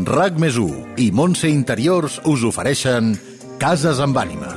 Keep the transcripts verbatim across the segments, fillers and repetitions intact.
RAC més u i Montse Interiors us ofereixen Cases amb ànima.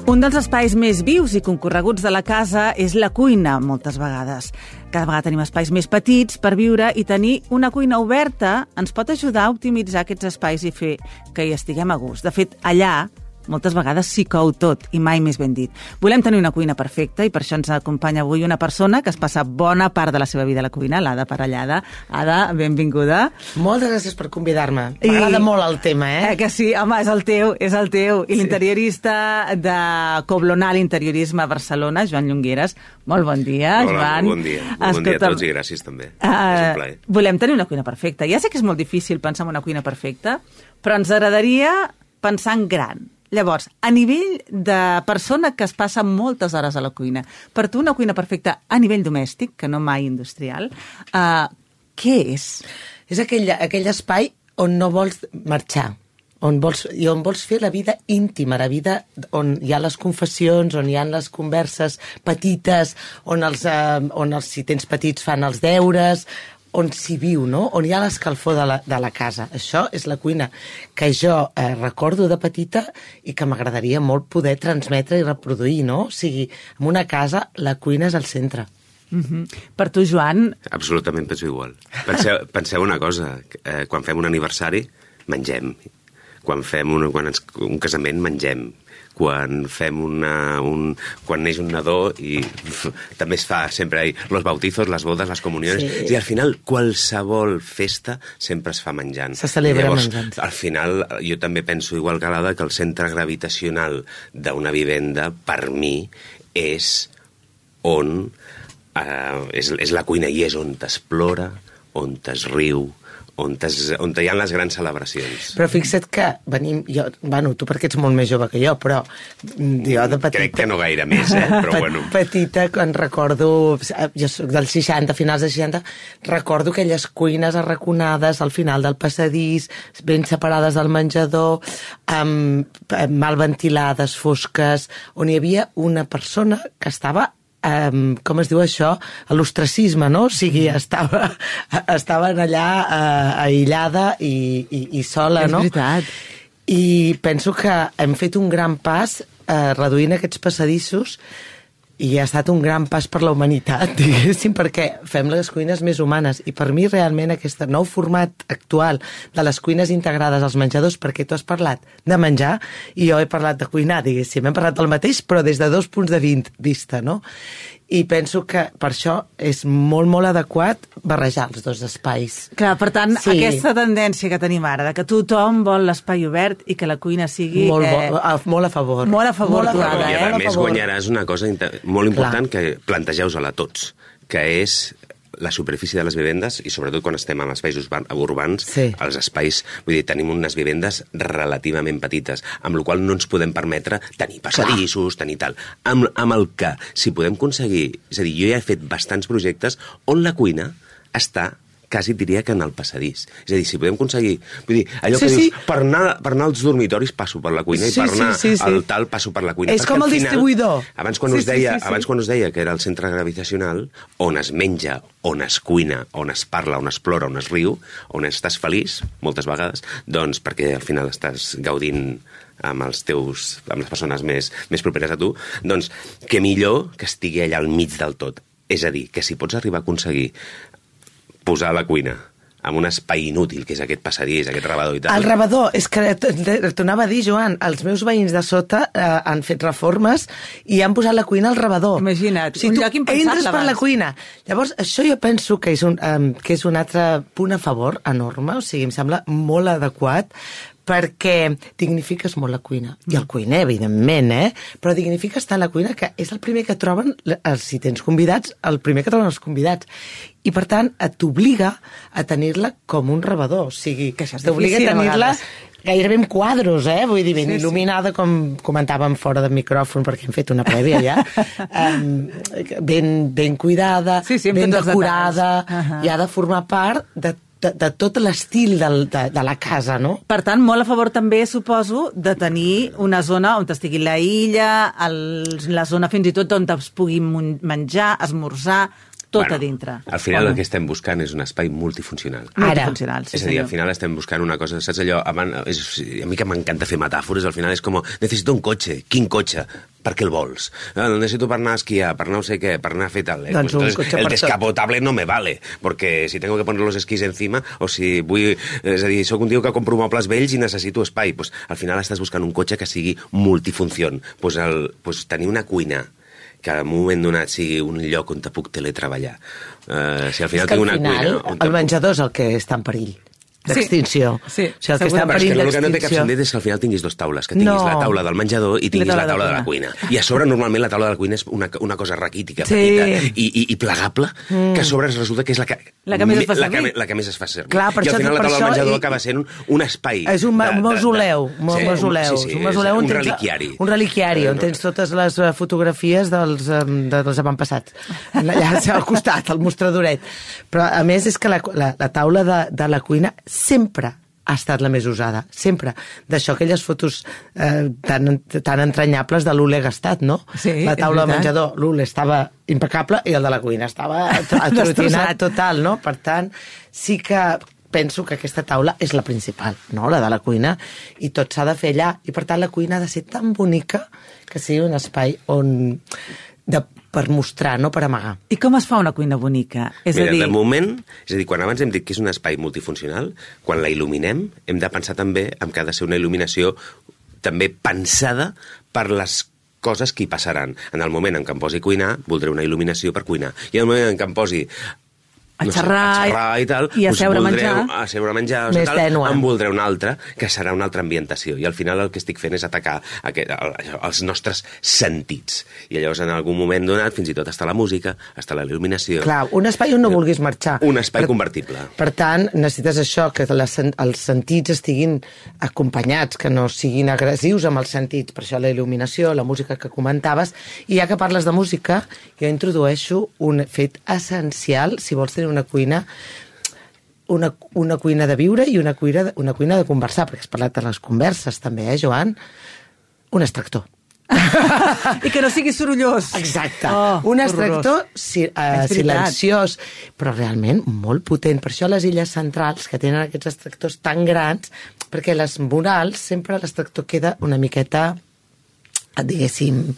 Un dels espais més vius i concorreguts de la casa és la cuina, moltes vegades. Cada vegada tenim espais més petits per viure i tenir una cuina oberta ens pot ajudar a optimitzar aquests espais i fer que hi estiguem a gust. De fet, allà moltes vegades s'hi cou tot i mai més ben dit. Volem tenir una cuina perfecta i per això ens acompanya avui una persona que es passa bona part de la seva vida a la cuina, l'Ada Parellada. Ada, benvinguda. Moltes gràcies per convidar-me. M'agrada molt el tema, eh? eh? Que sí, home, és el teu, és el teu. I sí. L'interiorista de Coblonal Interiorisme a Barcelona, Joan Llongueres. Molt bon dia, Hola, Joan. Molt bon dia. Molt bon dia a tots i gràcies també. Uh, és un plaer. Volem tenir una cuina perfecta. Ja sé que és molt difícil pensar en una cuina perfecta, però ens agradaria pensar en gran. Llavors, a nivell de persona que es passa moltes hores a la cuina, per tu una cuina perfecta a nivell domèstic, que no mai industrial, uh, què és? És aquell, aquell espai on no vols marxar, on vols, i on vols fer la vida íntima, la vida on hi ha les confessions, on hi ha les converses petites, on, els, uh, on els, si tens petits fan els deures, on s'hi viu, no? On hi ha l'escalfor de, la, de la casa. Això és la cuina que jo eh, recordo de petita i que m'agradaria molt poder transmetre i reproduir, no? O sigui, en una casa la cuina és el centre. Mm-hmm. Per tu, Joan? Absolutament penso igual. Penseu, penseu una cosa, eh, quan fem un aniversari, mengem. Quan fem un, quan ens, un casament, mengem. Quan fem una, un, quan neix un nadó i uf, també es fa sempre ahí, los bautizos, les bodes, les comunions, sí. I al final qualsevol festa sempre es fa menjant. Se celebra llavors, menjant. Al final jo també penso igual que l'Ada que el centre gravitacional d'una vivenda per mi és on eh, és, és la cuina i és on t'explora, on t'es riu, on, tes, on hi ha les grans celebracions. Però fixa't que venim... Jo, bueno, tu perquè ets molt més jove que jo, però jo de petita... Crec que no gaire més, eh? Però bueno. Petita, quan recordo... Jo soc dels seixanta, finals dels seixanta, recordo aquelles cuines arraconades al final del passadís, ben separades del menjador, amb, mal ventilades, fosques, on hi havia una persona que estava... Um, com es diu això? L'ostracisme, no? O sigui, estava, estaven allà uh, aïllada i, i, i sola, no? És veritat. I penso que hem fet un gran pas uh, reduint aquests passadissos i ha estat un gran pas per la humanitat, diguéssim, perquè fem les cuines més humanes. I per mi realment aquest nou format actual de les cuines integrades als menjadors, perquè tu has parlat de menjar i jo he parlat de cuinar, diguéssim. Hem parlat del mateix, però des de dos punts de vista, no? I penso que per això és molt, molt adequat barrejar els dos espais. Clar, per tant, sí. Aquesta tendència que tenim ara, de que tothom vol l'espai obert i que la cuina sigui... Molt, eh... a, molt a favor. Molt a favor, molt a favor. Ada, I eh? a més guanyaràs una cosa molt important Clar. Que plantegeu-la a tots, que és la superfície de les vivendes i sobretot quan estem en espais urbans, sí. Els espais, vull dir, tenim unes vivendes relativament petites, amb la qual no ens podem permetre tenir passadissos, tenir tal. Amb, amb el que, si podem aconseguir, és a dir, jo ja he fet bastants projectes on la cuina està quasi diria que en el passadís. És a dir, si podem aconseguir... Vull dir, allò sí, que sí. dius, per anar, per anar als dormitoris passo per la cuina sí, i per anar sí, sí, sí. al tal passo per la cuina. És com el final, distribuïdor. Abans quan, sí, us deia, sí, sí, sí. abans quan us deia que era el centre gravitacional, on es menja, on es cuina, on es parla, on es plora, on es riu, on estàs feliç, moltes vegades, doncs perquè al final estàs gaudint amb els teus, amb les persones més, més properes a tu, doncs que millor que estigui allà al mig del tot. És a dir, que si pots arribar a aconseguir posar la cuina amb un espai inútil, que és aquest passadís, aquest rebedor i tal. El rebedor, és que t'ho anava a dir, Joan, els meus veïns de sota eh, han fet reformes i han posat la cuina al rebedor. Imagina't, o sigui, un lloc impensable entres per abans. la cuina. Llavors, això jo penso que és, un, um, que és un altre punt a favor enorme, o sigui, em sembla molt adequat, perquè dignifiques molt la cuina. I el cuiner, evidentment, eh? Però dignifica estar a la cuina, que és el primer que troben, si tens convidats, el primer que troben els convidats. I, per tant, t'obliga a tenir-la com un rebedor. O sigui, t'obliga a tenir-la gairebé en quadros, eh? Vull dir, ben sí, il·luminada, sí. Com comentàvem fora del micròfon, perquè hem fet una prèvia ja, um, ben, ben cuidada, sí, sí, ben decorada, uh-huh. i ha de formar part de de, de tot l'estil del- de, de la casa, no? Per tant, molt a favor també, suposo, de tenir una zona on estigui la illa, el, la zona fins i tot on es pugui mun- menjar, esmorzar, tot a dintre. Al final O no? el que estem buscant és un espai multifuncional. Multifuncional, sí, és a dir, senyor. al final estem buscant una cosa, saps allò? Abans, és, a mi que m'encanta fer metàfores, al final és com, necessito un cotxe. Quin cotxe? Per què el vols? Ah, el necesito per anar a esquiar, per anar no sé què, per anar a fer tal. Eh? Doncs un Entonces, cotxe el per tot. descapotable no me vale, porque si tengo que poner los esquís encima, o si vull... És a dir, soc un tio que compro mobles vells i necessito espai. Pues, al final estàs buscant un cotxe que sigui multifunción. Pues, el, pues, tenir una cuina que en un moment donat sigui un lloc on te puc teletreballar. Uh, si al final És que tinc al una final cuina... on te el puc- menjador és el que està en perill d'extinció. Sí, o sigui, el que està en segurament. Però és perill que el que no té cap d'extinció. sentit és que al final tinguis dues taules, que tinguis No. la taula del menjador i tinguis I la la taula taula de de la cuina. I a sobre, normalment, la taula de la cuina és una, una cosa raquítica, Sí. petita i, i, i plegable, mm. que a sobre resulta que és la que, La que més es fa la que, servir. la que més es fa servir. Clar, per I al això- final la per taula del això menjador i- acaba sent un, un espai. És un ma- de- de- mausoleu, de- un mausoleu, sí, sí, és un mausoleu és on un tens- reliquiari. Un reliquiari, on No. tens totes les eh, fotografies dels, eh, de, dels avantpassats. Allà al costat, al mostradoret. Però, a més, és que la, la, la taula de, de la cuina sempre ha estat la més usada, sempre. D'això, aquelles fotos eh, tan, tan entranyables de l'Ule gastat, no? Sí, la és taula de veritat. menjador, l'Ule estava impecable i el de la cuina estava atrotinat Destrossat. total, no? Per tant, sí que penso que aquesta taula és la principal, no? La de la cuina, i tot s'ha de fer allà. I per tant la cuina ha de ser tan bonica que sigui un espai on... De, per mostrar, no per amagar. I com es fa una cuina bonica? És Mira, a dir, de moment, és a dir, quan abans hem dit que és un espai multifuncional, quan la il·luminem, hem de pensar també en que ha de ser una il·luminació també pensada per les coses que hi passaran. En el moment en què em posi a cuinar, voldré una il·luminació per cuinar. I en el moment en què em posi A no sé, xerrar, a xerrar i tal, i a doncs seure a voldré, menjar. a seure a menjar, o Més tal, tènue. en voldré una altra, que serà una altra ambientació. I al final el que estic fent és atacar aquest, el, els nostres sentits. I llavors en algun moment donat, fins i tot està la música, està la il·luminació. Clar, un espai on no vulguis marxar. Un espai per, convertible. Per tant, necessites això, que les, els sentits estiguin acompanyats, que no siguin agressius amb els sentits. Per això la il·luminació, la música que comentaves. I ja que parles de música, jo introdueixo un fet essencial, si vols tenir una cuina, una, una cuina de viure i una cuina, una cuina de conversar, perquè has parlat de les converses també, eh, Joan? Un extractor. I que no sigui sorollós. Exacte. Oh, un horrorós. extractor si, És uh, veritat. silenciós, però realment molt potent. Per això les illes centrals, que tenen aquests extractors tan grans, perquè les murals sempre l'extractor queda una miqueta, diguéssim,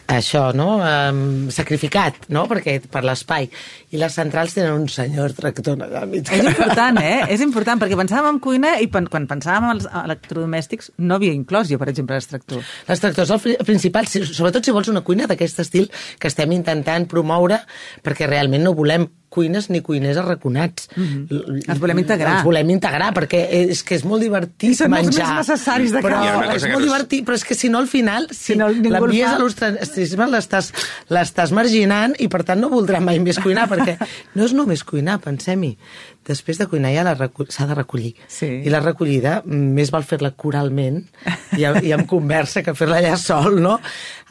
això, no? Um, sacrificat, no? Perquè per l'espai. I les centrals tenen un senyor tractor allà al mig. És important, eh? És important, perquè pensàvem en cuina i pen- quan pensàvem en els electrodomèstics no havia inclòs jo, per exemple, l'extractor. L'extractor és el fri- principal, si, sobretot si vols una cuina d'aquest estil que estem intentant promoure, perquè realment no volem cuines ni cuiners arraconats. Mm-hmm. Els volem integrar. Els volem integrar, perquè és que és molt divertit I són els menjar. més necessaris de però casa. Hi ha una cosa és que molt no és- divertit, però és que si no al final, si, Si no, ningú el l'envies fa. a l'ostracisme l'estàs l'estàs marginant i per tant no voldrà mai més cuinar, perquè no és només cuinar, pensem-hi. Després de cuinar ja la recu- s'ha de recollir. Sí. I la recollida, més val fer-la coralment i, i amb conversa que fer-la allà sol, no?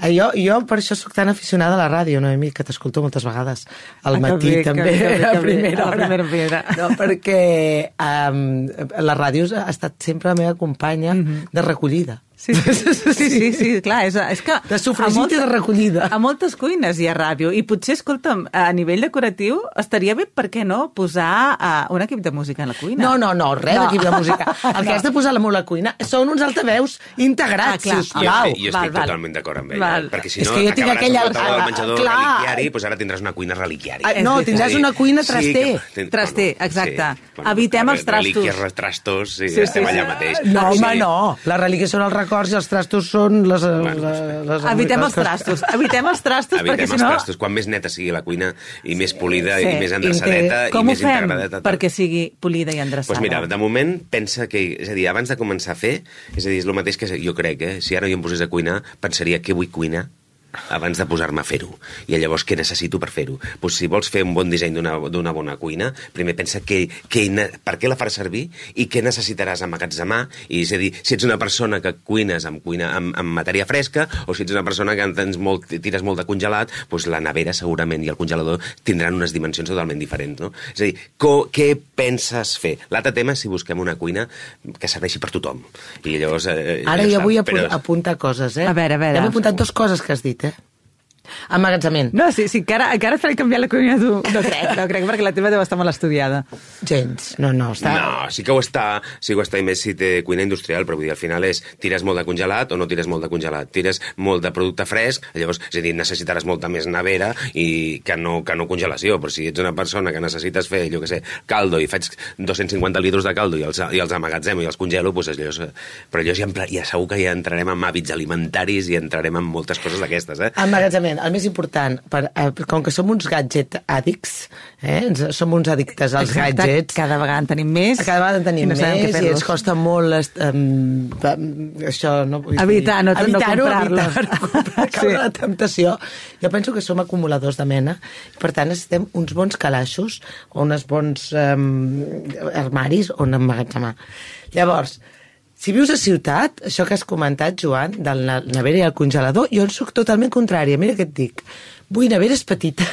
Eh, Jo, jo per això sóc tan aficionada a la ràdio, Noemi, que t'escolto moltes vegades. Al Ah, que matí bé, que també, bé, que bé, a que bé, primera a la hora. primera hora. No, perquè um, la ràdio ha estat sempre la meva companya Mhm. de recollida. Sí, sí, sí, sí, sí, clar, és, és que... De sofregit a moltes- i de recollida. A moltes cuines hi ha ràdio, i potser, escolta'm, a nivell decoratiu estaria bé, per què no, posar uh, un equip de música en la cuina. No, no, no, res No. d'equip de música. El que No. has de posar a la cuina són uns altaveus integrats, Ah, clar. sisplau. Jo, Val, jo estic val, val. totalment d'acord amb ella, Val. perquè si És no que jo tinc acabaràs aquella- amb la taula ah, del menjador clar. reliquiari, doncs ara tindràs una cuina reliquiari. Ah, És no, veritat. tindràs una cuina traster. ten- Traster, exacte. Evitem els trastos. Relíquies, trastos, sí, Sí, sí, sí, estem sí. allà mateix. No, Sí. home, no. Les relíquies són els records i els trastos són les... les, les Evitem les els trastos, evitem els trastos, Evitem perquè els si no... trastos. Quan més neta sigui la cuina i més polida Sí, i més endreçadeta i Com ho més fem integradeta. perquè sigui polida i endreçada? Doncs mira, de moment pensa que, és a dir, abans de començar a fer, és a dir, és el mateix que jo crec, eh? Si ara jo em posés a cuinar, pensaria què vull cuinar abans de posar-me a fer-ho. I llavors què necessito per fer-ho? Pues si vols fer un bon disseny d'una bona cuina, primer pensa que, que, per què la faràs servir i què necessitaràs emmagatzemar. I és a dir, si ets una persona que cuines amb, cuina, amb, amb matèria fresca o si ets una persona que tens molt, tires molt de congelat, pues la nevera segurament i el congelador tindran unes dimensions totalment diferents. No? És a dir, co, què penses fer? L'altre tema és si busquem una cuina que serveixi per tothom. I llavors... Eh, Ara jo vull però... apuntar coses, eh? A veure, a veure. Hem apuntat dues coses que has dit, eh? Emmagatzament. No, sí, sí, encara, encara et faré canviar la cuina tu. No crec, no crec, perquè la teva deu estar molt estudiada. Gens, no, no, està... No, sí que ho està, sí que ho està, i més si té cuina industrial, però vull dir, al final és tires molt de congelat o no tires molt de congelat, tires molt de producte fresc, llavors, és a dir, necessitaràs molta més nevera i que no, que no congelació, però si ets una persona que necessites fer, jo què sé, caldo, i faig dos-cents cinquanta litres de caldo i els, i els amagatzemo i els congelo, doncs allò, però allò ja, ja segur que ja entrarem en hàbits alimentaris i entrarem en moltes coses d'aquestes, eh? Emmagatzament. El més important, per, eh, com que som uns gadget addicts, eh, som uns addictes als Exacte, gadgets. cada vegada en tenim més. Cada vegada en tenim no més i ens costa molt um, això, no? Evitar, no, no comprar-los. Evitar, comprar, caure sí. La temptació. Jo penso que som acumuladors de mena, per tant necessitem uns bons calaixos o uns bons um, armaris on emmagatzemar. Llavors, si vius a ciutat, això que has comentat, Joan, del nevera i el congelador, jo en soc totalment contrària. Mira què et dic. Vull neveres petites.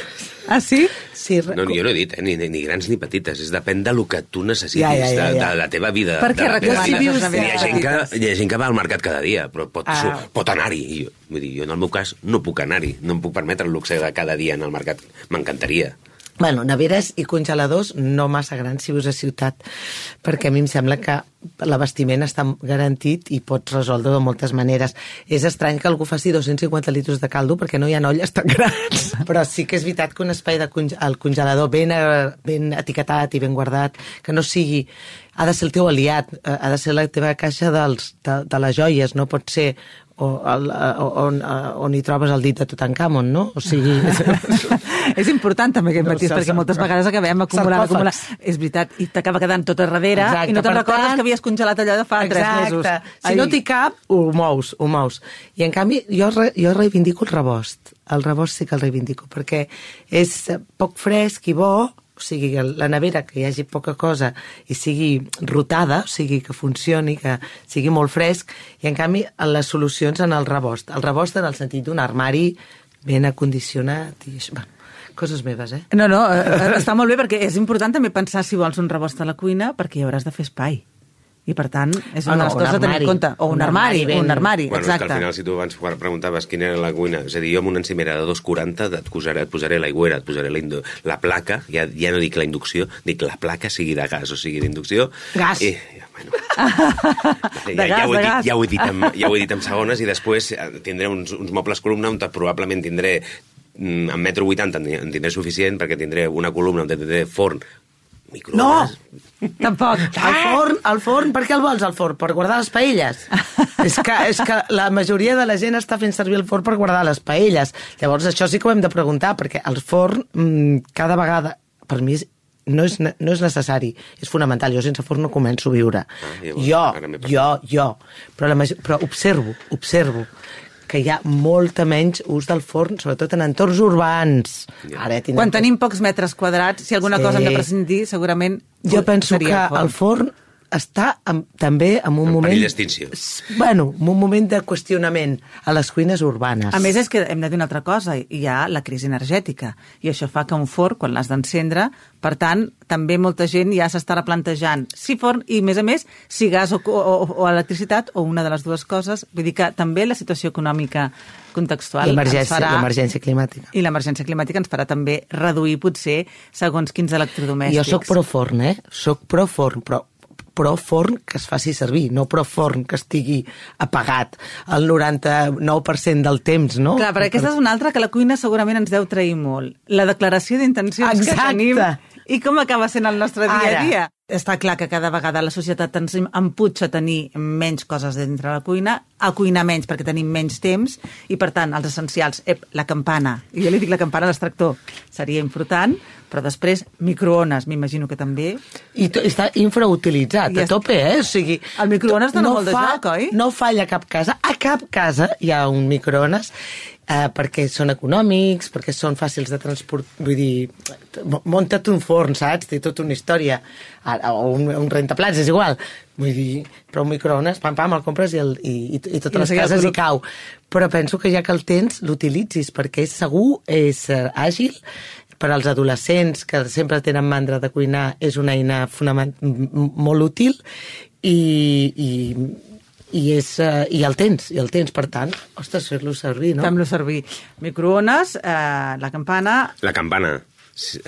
Ah, sí? Sí. No, jo no he dit, eh? ni, ni grans ni petites. És depèn del que tu necessitis, ja, ja, ja, ja. De, de la teva vida. Per què recomanes si vius... les neveres hi ha, gent que, petites? hi ha gent que va al mercat cada dia, però pot, Ah. pot anar-hi. Jo, vull dir, jo en el meu cas no puc anar-hi. No em puc permetre el luxe de cada dia en el mercat. M'encantaria. Bueno, neveres i congeladors no massa grans si vius a ciutat, perquè a mi em sembla que l'abastiment està garantit i pots resoldre de moltes maneres. És estrany que algú faci dos-cents cinquanta litres de caldo perquè no hi ha olles tan grans, però sí que és veritat que un espai de conge el congelador ben, ben etiquetat i ben guardat, que no sigui... Ha de ser el teu aliat, ha de ser la teva caixa dels, de, de les joies, no pot ser o, el, on, on hi trobes el dit de Tutankamon, no? O sigui... És important també aquest matís, No, perquè moltes vegades acabem acumulant, acumulant. És veritat, i t'acaba quedant tot a darrere. Exacte, i no te'n recordes tant... que havies congelat allò de fa Exacte. tres mesos. Si Ai. No t'hi cap, ho mous, ho mous. I en canvi, jo, re, jo reivindico el rebost. El rebost sí que el reivindico, perquè és poc fresc i bo, o sigui, la nevera, que hi hagi poca cosa i sigui rotada, o sigui, que funcioni, que sigui molt fresc, i en canvi les solucions en el rebost. El rebost en el sentit d'un armari ben acondicionat i això, bueno, coses meves, eh? No, no, està molt bé, perquè és important també pensar si vols un rebost a la cuina, perquè hi hauràs de fer espai. I, per tant, és una de les coses a tenir en compte. O un, un armari, armari un armari, bueno, exacte. Bueno, al final, si tu abans preguntaves quina era la cuina, és a dir, jo amb una encimera de dos quaranta et posaré, et posaré l'aigüera, et posaré la, la placa, ja, ja no dic la inducció, dic la placa, sigui de gas o sigui d'inducció. Gas. I, bueno, ja, de gas, ja, ho he de dit, gas. ja, ho he dit en, ja ho he dit en segones, i després tindré uns, uns mobles columna on probablement tindré en metro vuitanta en tindré suficient, perquè tindré una columna on tindré forn, microones... No! Tampoc. El forn, el forn, per què el vols, el forn? Per guardar les paelles? és, que, és que la majoria de la gent està fent servir el forn per guardar les paelles. Llavors, això sí que ho hem de preguntar, perquè el forn, mmm, cada vegada, per mi, no és, no és necessari, és fonamental. Jo sense forn no començo a viure. Ah, jo, jo, jo. Però, la major, però observo, observo que hi ha molta menys ús del forn, sobretot en entorns urbans. Ara, ja quan tenim pocs metres quadrats, si alguna sí. cosa hem de prescindir, segurament jo penso que el forn, el forn està en, també en un en moment... perill d'extinció. Bueno, en un moment de qüestionament a les cuines urbanes. A més, és que hem de dir una altra cosa, hi ha la crisi energètica, i això fa que un forn, quan l'has d'encendre, per tant, també molta gent ja s'està replantejant si forn, i a més a més, si gas o, o, o electricitat, o una de les dues coses. Vull dir que també la situació econòmica contextual l'emergència, farà... l'emergència climàtica. I l'emergència climàtica ens farà també reduir, potser, segons quins electrodomèstics. Jo sóc pro forn, eh? Sóc pro forn, però pro forn que es faci servir, no pro forn que estigui apagat el noranta-nou per cent del temps, no? Clar, però aquesta és una altra que la cuina segurament ens deu trair molt. La declaració d'intencions que tenim i com acaba sent el nostre dia a dia. Està clar que cada vegada la societat ens emputxa a tenir menys coses dintre la cuina, a cuinar menys perquè tenim menys temps, i per tant, els essencials, ep, la campana, i jo li dic la campana a l'extractor, seria important, però després microones, m'imagino que també. I to, està infrautilitzat, a tope, eh? O sigui, el microones dona no molt de fa, joc, oi? No falla a cap casa. A cap casa hi ha un microones, eh, perquè són econòmics, perquè són fàcils de transport, vull dir, munta't un forn, saps? Té tota una història, o un, un rentaplats, és igual. Vull dir, però un microones, pam, pam, el compres i, el, i, i, i totes I les cases hi cau. Però penso que ja que el tens, l'utilitzis, perquè és segur, és uh, àgil, per als adolescents que sempre tenen mandra de cuinar és una eina fonament molt útil i, i, i, és, uh, i el tens, i el tens, per tant, ostres, fer-lo servir, no? Fem-lo servir. Microones, eh, la campana... La campana.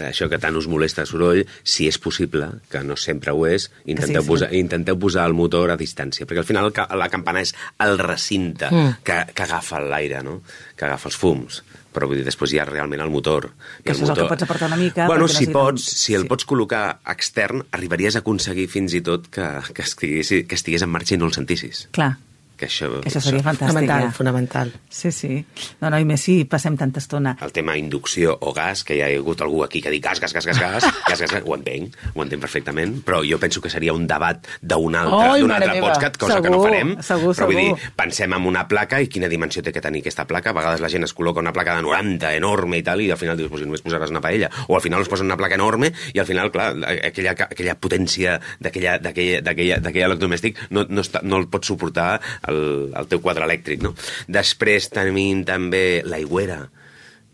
Això que tant us molesta el soroll, si és possible, que no sempre ho és, intenteu, sí, sí. Posar, intenteu posar el motor a distància, perquè al final la campana és el recinte mm. que, que agafa l'aire, no? Que agafa els fums. Però vull dir, després hi ha realment el motor. Que això és el que pots aportar una mica. Bueno, si, pots, si el sí. pots col·locar extern, arribaries a aconseguir fins i tot que, que, estigués, que estigués en marxa i no el sentissis. Clar. Que això, que això seria fantàstic. Fonamental, ja. fonamental. Sí, sí. No, no, i més si passem tanta estona. El tema inducció o gas, que hi ha hagut algú aquí que ha dit gas, gas, gas, gas, gas, gas, gas, gas, ho entenc, ho entenc perfectament, però jo penso que seria un debat d'un altre, oh, d'un altre podcast, cosa segur, que no farem. Segur, però vull segur. dir, pensem en una placa i quina dimensió té que tenir aquesta placa. A vegades la gent es col·loca una placa de noranta, enorme i tal, i al final dius, pues, només posaràs una paella. O al final es posa una placa enorme i al final, clar, aquella, aquella potència d'aquell electrodomèstic no, no, està, no el pot suportar el, el teu quadre elèctric, no? Després tenim també l'aigüera.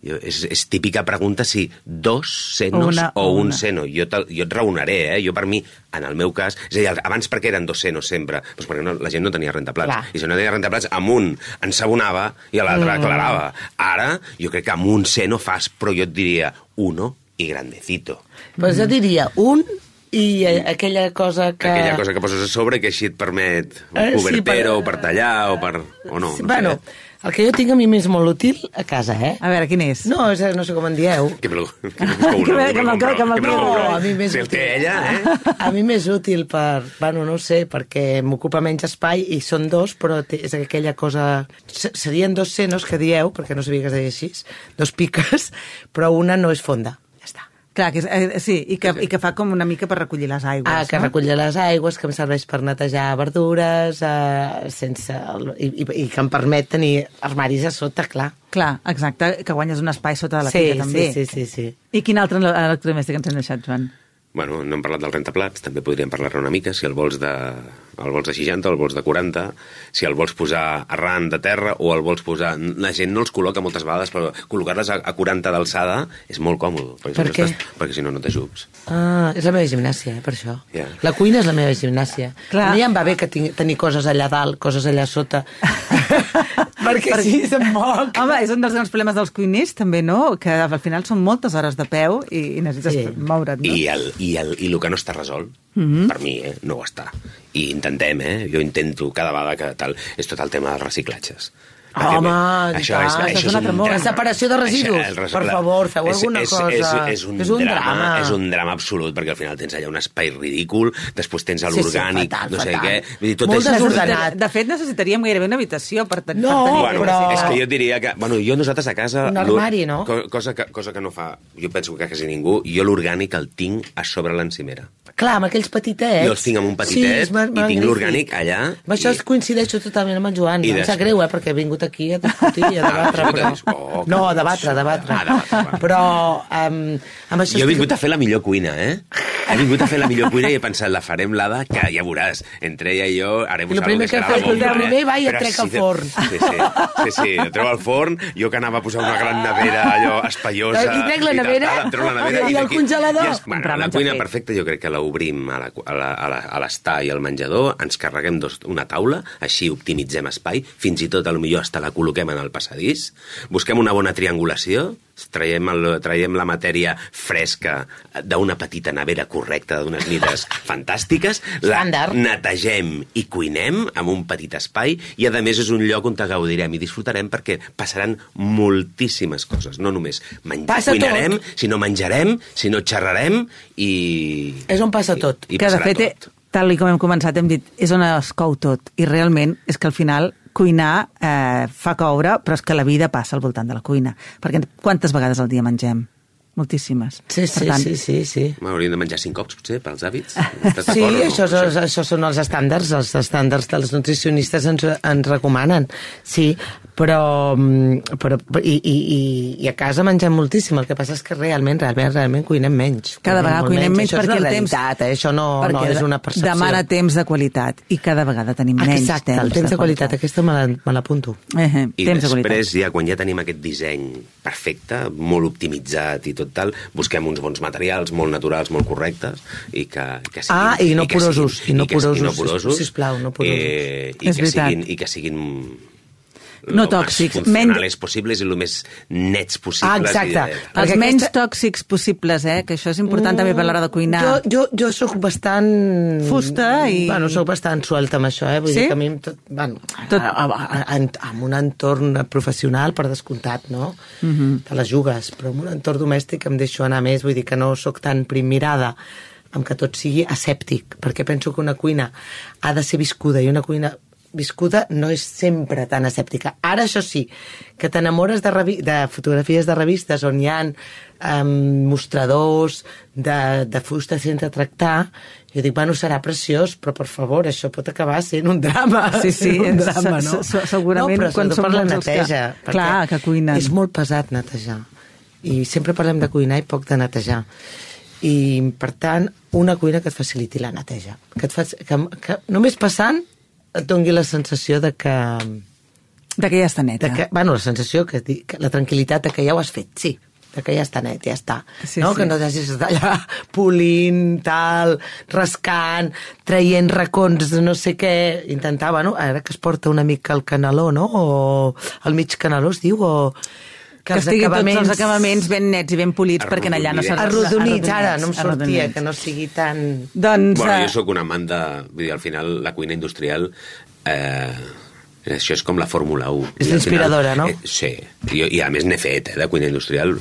Jo, és, és típica pregunta si dos senos una, o un una. seno. Jo, te, jo et raonaré, eh? Jo per mi, en el meu cas... És a dir, abans per què eren dos senos sempre? Doncs perquè no, la gent no tenia rentaplats. Clar. I si no tenia rentaplats, amb un ensabonava i a l'altre mm. aclarava. Ara, jo crec que amb un seno fas, però jo et diria uno i grandecito. Pues jo diria un... I aquella cosa que... Aquella cosa que poses a sobre que així et permet un cobertero, sí, per... o per tallar, o per... o no, sí, no bueno, sé. El que jo tinc a mi més molt útil a casa, eh? A veure, quin és? No, és, no sé com en dieu. Que me lo, que me lo compro, que me lo compro, que me lo compro. A mi més si el té ella, eh? A mi més útil per... Bueno, no sé, perquè m'ocupa menys espai i són dos, però és aquella cosa... Serien dos senos que dieu, perquè no sabia que es deia així, dos piques, però una no és fonda. Ja està. Clar, que és, eh, sí, i que, i que fa com una mica per recollir les aigües. Ah, que no? recollir les aigües, que em serveix per netejar verdures, eh, sense... I, i, i que em permet tenir armaris a sota, clar. Clar, exacte, que guanyes un espai sota de la sí, pica, també. Sí, sí, sí, sí. I quin altre electrodomèstic ens hem deixat, Joan? Bueno, no hem parlat del rentaplats, també podríem parlar-ne una mica, si el vols de, el vols de seixanta o el vols de quaranta, si el vols posar arran de terra o el vols posar... La gent no els col·loca moltes vegades, però col·locar-les a, a quaranta d'alçada és molt còmode. Perquè per si què? No estàs, perquè si no, no t'ajups. Ah, és la meva gimnàsia, eh, per això. Yeah. La cuina és la meva gimnàsia. Clar. A mi ja em va bé que tinc, tenir coses allà dalt, coses allà sota. perquè sí, se'm moc. Home, és un dels grans problemes dels cuiners, també, no? Que al final són moltes hores de peu i, i necessites sí. moure't, no? I el, i, el, I el que no està resolt, mm-hmm. per mi, eh, no ho està. I intentem, eh? Jo intento cada vegada que tal... És tot el tema dels reciclatges. Home, això clar, és, això és un drama. La separació de residus, això, res, per favor, feu és, alguna és, cosa. És, és, un és un drama, drama. És un drama absolut, perquè al final tens allà un espai ridícul, després tens l'orgànic, sí, sí, fatal, no sé fatal. Què... Vull dir, tot molt és... desordenat. De fet, necessitaríem gairebé una habitació per, ten no, per tenir... Bueno, però... és que jo diria que... Bueno, jo nosaltres a casa... Un armari, no? Cosa que, cosa que no fa... Jo penso que quasi ningú. Jo l'orgànic el tinc a sobre l'encimera. Clar, amb aquells petitets. Jo els tinc amb un petitet sí, i tinc l'orgànic allà. Amb això i... coincideixo totalment amb en Joan. Em sap greu, eh, perquè he vingut aquí a discutir i a debatre. Però... Oh, no, a debatre, a debatre. Ah, debatre. Però um, amb això... Jo he vingut a fer la millor cuina, eh? He vingut a fer la millor cuina i he pensat, la farem l'Ada, que ja veuràs. Entre ella i jo harem algo que serà la bomba. El primer va i et trec al forn. Sí, sí, sí, sí, el treu al forn, jo que anava a posar una gran nevera allò espaiosa. I trec la nevera i, tal, la nevera, i, i el congelador. I es, bueno, la cuina perfecta jo crec que l'obrim a l'estar i al menjador, ens carreguem dos, una taula, així optimitzem espai, fins i tot potser hasta la col·loquem en el passadís, busquem una bona triangulació traiem, el, traiem la matèria fresca d'una petita nevera correcta, d'unes mides fantàstiques, la netegem i cuinem amb un petit espai i, a més, és un lloc on te gaudirem i disfrutarem perquè passaran moltíssimes coses. No només menjar, cuinarem, tot. sinó menjarem, sinó xerrarem i... És on passa tot. I, i que, de fet, tot. tal com hem començat, hem dit, és on es cou tot. I realment és que al final cuinar eh, fa coure, però és que la vida passa al voltant de la cuina. Perquè quantes vegades al dia mengem? Moltíssimes. Sí, sí, tant... sí, sí, sí. Hauríem de menjar cinc cops, potser, pels hàbits. Sí, no? això, això, això són els estàndards, els estàndards dels nutricionistes ens, ens recomanen. Sí, però, però i, i, i a casa mengem moltíssim, el que passa és que realment, realment, realment cuinem menys. Cada vegada cuinem menys, menys perquè el temps... Eh? Això no, no és una percepció. Demana temps de qualitat i cada vegada tenim menys Exacte, temps el temps de, de qualitat, aquesta me l'apunto. Eh, eh, I temps després, de ja, quan ja tenim aquest disseny perfecte, molt optimitzat i tot tal, busquem uns bons materials molt naturals, molt correctes i que, que siguin... Ah, i no i porosos, siguin, i no porosos, i no porosos, sisplau, no porosos. Eh, i, que siguin, I que siguin no tòxics, funcionals possibles i el més nets possibles. Ah, exacte. I de... Els menys aquesta... tòxics possibles, eh? Que això és important mm, també per l'hora de cuinar. Jo, jo, jo sóc bastant... Fusta i... Bueno, sóc bastant suelta amb això, eh? Vull sí? dir que a mi... Tot, bueno, tot... amb un entorn professional, per descomptat, no? Mm-hmm. Te la jugues, però en un entorn domèstic em deixo anar més, vull dir que no sóc tan primmirada amb que tot sigui asèptic, perquè penso que una cuina ha de ser viscuda i una cuina viscuda no és sempre tan asèptica. Ara, això sí, que t'enamores de, revi de fotografies de revistes on hi ha um, mostradors de, de fusta sense tractar, jo dic, bueno, serà preciós, però, per favor, això pot acabar sent un drama. Sí, sí, un drama, no? Segurament, no, quan som per la neteja. Que... Clar, que cuinen. És molt pesat netejar. I sempre parlem de cuinar i poc de netejar. I, per tant, una cuina que et faciliti la neteja. Que et fa... que, que només passant et doni la sensació de que... De que ja està neta. Que, bueno, la sensació, que, que la tranquil·litat de que ja ho has fet, sí, de que ja està net, ja està. Sí, no? sí. Que no t'hagis d'estar allà polint, tal, rascant, traient racons de no sé què, intentar, bueno, ara que es porta una mica el canaló, no? O el mig canaló es diu, o... Que, que estigui acabaments... tots els acabaments ben nets i ben polits perquè allà no s'ha... Arrodonits, ara, no em sortia, que no sigui tan... Doncs, bueno, jo sóc un amant de... Vull dir, al final, la cuina industrial... Eh, això és com la Fórmula u. És inspiradora, no? Eh, sí, I, i a més n'he fet, eh, de cuina industrial,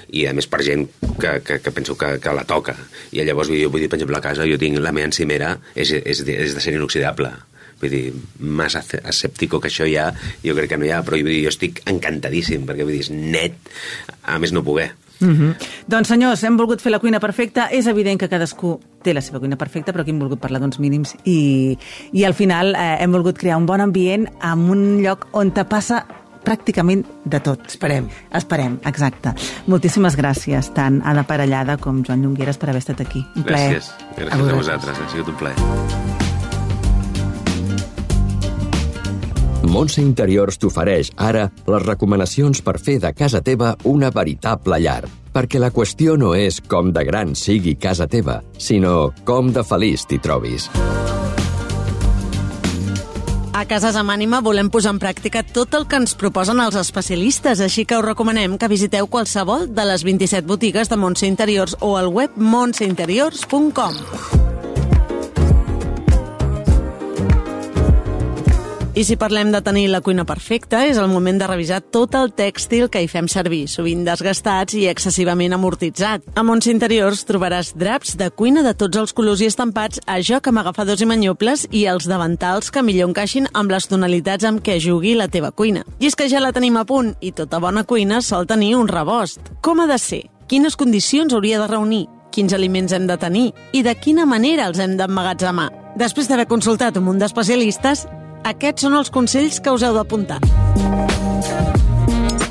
i a més per gent que, que, que penso que, que la toca. I llavors, jo vull dir, per exemple, a casa, jo tinc la meva encimera, és, és, de, és de ser inoxidable. Vull dir, més escèptico que això ja, jo crec que no hi ha, però vull dir, jo estic encantadíssim, perquè vull dir, és net, a més no poder. Mm-hmm. Doncs senyors, hem volgut fer la cuina perfecta. És evident que cadascú té la seva cuina perfecta, però aquí hem volgut parlar d'uns mínims i, i al final eh, hem volgut crear un bon ambient en un lloc on te passa pràcticament de tot. Esperem. Esperem, exacte. Moltíssimes gràcies, tant Anna Parellada com Joan Llongueras, per haver estat aquí. Un plaer. Gràcies. Gràcies a, a vosaltres. Ha sigut un plaer. Montse Interiors t'ofereix ara les recomanacions per fer de casa teva una veritable llar. Perquè la qüestió no és com de gran sigui casa teva, sinó com de feliç t'hi trobis. A Cases amb Ànima volem posar en pràctica tot el que ens proposen els especialistes, així que us recomanem que visiteu qualsevol de les vint-i-set botigues de Montse Interiors o al web montse interiors punt com. I si parlem de tenir la cuina perfecta, és el moment de revisar tot el tèxtil que hi fem servir, sovint desgastats i excessivament amortitzat. A Montse Interiors trobaràs draps de cuina de tots els colors i estampats a joc amb agafadors i manyobles i els davantals que millor encaixin amb les tonalitats amb què jugui la teva cuina. I és que ja la tenim a punt i tota bona cuina sol tenir un rebost. Com ha de ser? Quines condicions hauria de reunir? Quins aliments hem de tenir? I de quina manera els hem d'emmagatzemar? Després d'haver consultat un munt d'especialistes, aquests són els consells que us heu d'apuntar.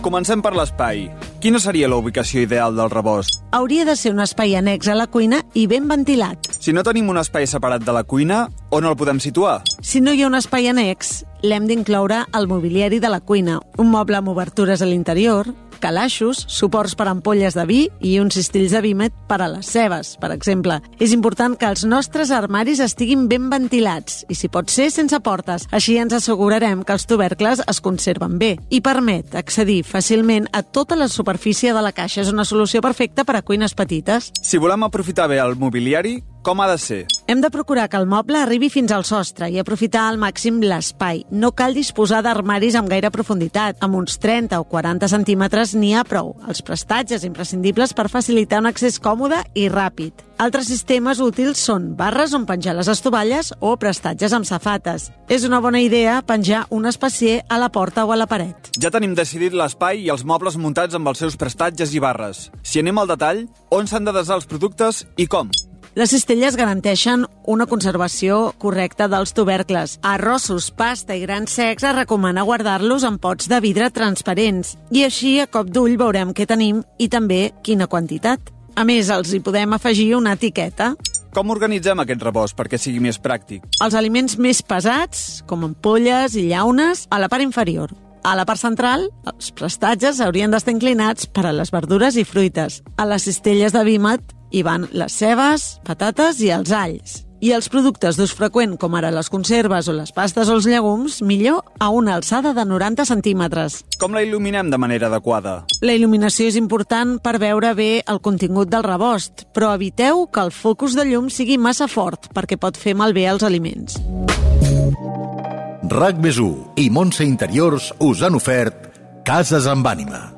Comencem per l'espai. Quina seria la ubicació ideal del rebost? Hauria de ser un espai annex a la cuina i ben ventilat. Si no tenim un espai separat de la cuina, on el podem situar? Si no hi ha un espai annex, l'hem d'incloure al mobiliari de la cuina. Un moble amb obertures a l'interior, calaixos, suports per ampolles de vi i uns cistills de vímet per a les cebes, per exemple. És important que els nostres armaris estiguin ben ventilats i, si pot ser, sense portes. Així ens assegurarem que els tubercles es conserven bé i permet accedir fàcilment a tota la superfície de la caixa. És una solució perfecta per a cuines petites. Si volem aprofitar bé el mobiliari, com ha de ser? Hem de procurar que el moble arribi fins al sostre i aprofitar al màxim l'espai. No cal disposar d'armaris amb gaire profunditat. Amb uns trenta o quaranta centímetres n'hi ha prou. Els prestatges imprescindibles per facilitar un accés còmode i ràpid. Altres sistemes útils són barres on penjar les estovalles o prestatges amb safates. És una bona idea penjar un espacier a la porta o a la paret. Ja tenim decidit l'espai i els mobles muntats amb els seus prestatges i barres. Si anem al detall, on s'han de desar els productes i com? Les cistelles garanteixen una conservació correcta dels tubercles. A arrossos, pasta i grans secs es recomana guardar-los en pots de vidre transparents. I així, a cop d'ull, veurem què tenim i també quina quantitat. A més, els hi podem afegir una etiqueta. Com organitzem aquest rebost perquè sigui més pràctic? Els aliments més pesats, com ampolles i llaunes, a la part inferior. A la part central, els prestatges haurien d'estar inclinats per a les verdures i fruites. A les cistelles de vímet hi van les cebes, patates i els alls. I els productes d'ús freqüent, com ara les conserves o les pastes o els llegums, millor a una alçada de noranta centímetres. Com la il·luminem de manera adequada? La il·luminació és important per veure bé el contingut del rebost, però eviteu que el focus de llum sigui massa fort perquè pot fer malbé els aliments. RAC més u i Montse Interiors us han ofert Cases amb ànima.